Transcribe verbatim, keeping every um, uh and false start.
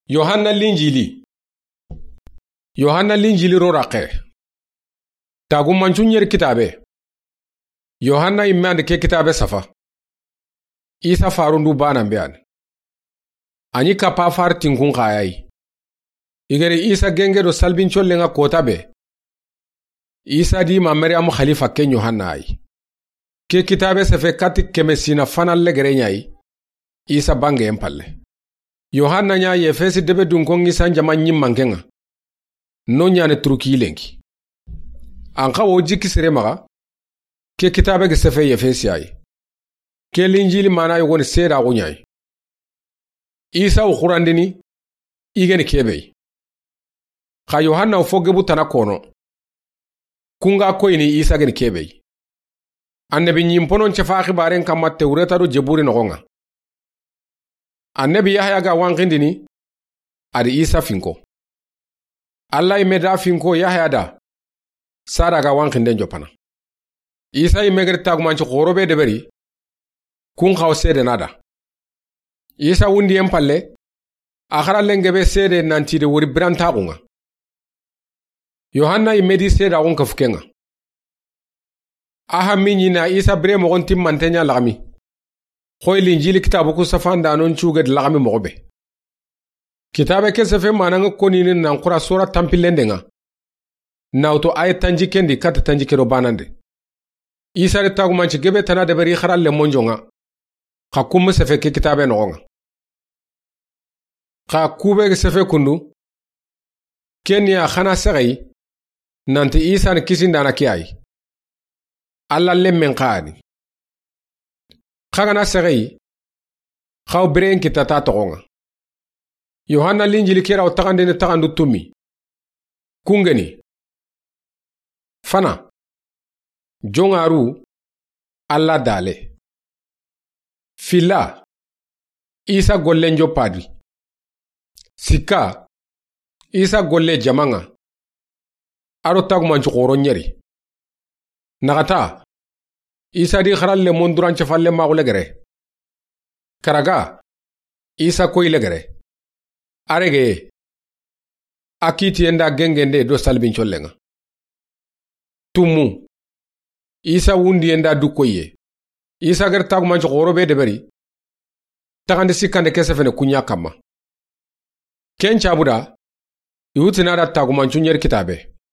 Yohanna Linjili. Yohanna Linjili ro raxe. Tagumancu ɲeri kitabe. Yohanna yimme andi ke kitabe safa. Isa farundu banan be ani. A ɲi kappa fari tinkun xa ya yi. I geri Isa genge do salbincollen ŋa kota be. Isa di ma Mariyamu xalifa ken Yohanna yi. Ke kitabe sefe kati keme sina fana legere ɲa yi. Isa bangeyen palle. Yohanna ɲa Yefesi debe dunkon Isa n jama ɲimmanken ŋa. No ɲani Turuki lenki. An xa wo jikki sere maxa. Ke kitabe ge sefe Yefesi ya yi. Ke Linjili mana yogoni seedaxu ɲa yi. Isa wo xurandini, i geni kebe yi. Xa Yohanna wo fo gebu tana kono. Kun ga koyini Isa geni kebe yi. Annabi ɲimponon cefa xibaren kamma Tewreta do Jeburi noxon ŋa. Annabi Yahaya ga wanxindini, a di Isa finko. Alla yimme da finko Yahaya da, sada ga wanxinden jopana. Isa yimme geri tagumanci xoro be deberi, kun xa wo seedena da. Isa wundiyen palle, a xarallen gebe seede nanti de wori birantaxun ŋa. Yohanna yimme di seedaxun kafu ken ŋa. A xa mi ɲi na Isa bire moxon timmanten ɲa laxami. Xoyi Linjili kitabu ku safandanon cuge di laxami moxo be. Kitabe ke sefe manan ŋa konini nan xura sora tanpillenden ŋa. Na wutu aye tanjikken di kata tanjikke do banan de. Isa di tagumanci gebe tana deberi xaralle monjon ŋa. Xa kumme sefe ke kitabe noxon ŋa. Xa kube sefe kundu. Ken ya xana sexeyi. Nanti Isa ni kisindana ke ya yi. Alla lemmen xa ni. Xa gana sexeyi. Xa wo biren kitata toxon ŋa. Yohanna Linjili kera wo taxandini taxandu tumi. Kungeni. Fana. Joŋaru. Alla dale. Fila. Isa gollen joppadi. Sikka. Isa golle jaman ŋa. A do tagumanci xoro ɲeri. Naxata. Isa di xaralle monduran cefalle maxu legere. Karaga. Isa koyi legere. A rege. A kitiyen da gengende do salbincollen ŋa. Tumu. Isa wundiyen da du koyiye. Isa geri tagumanci xoro be deberi. Taxandi sikkande ke sefene kuɲa kamma. Ken cabuda. I wutina da tagumancu ɲeri kitabe.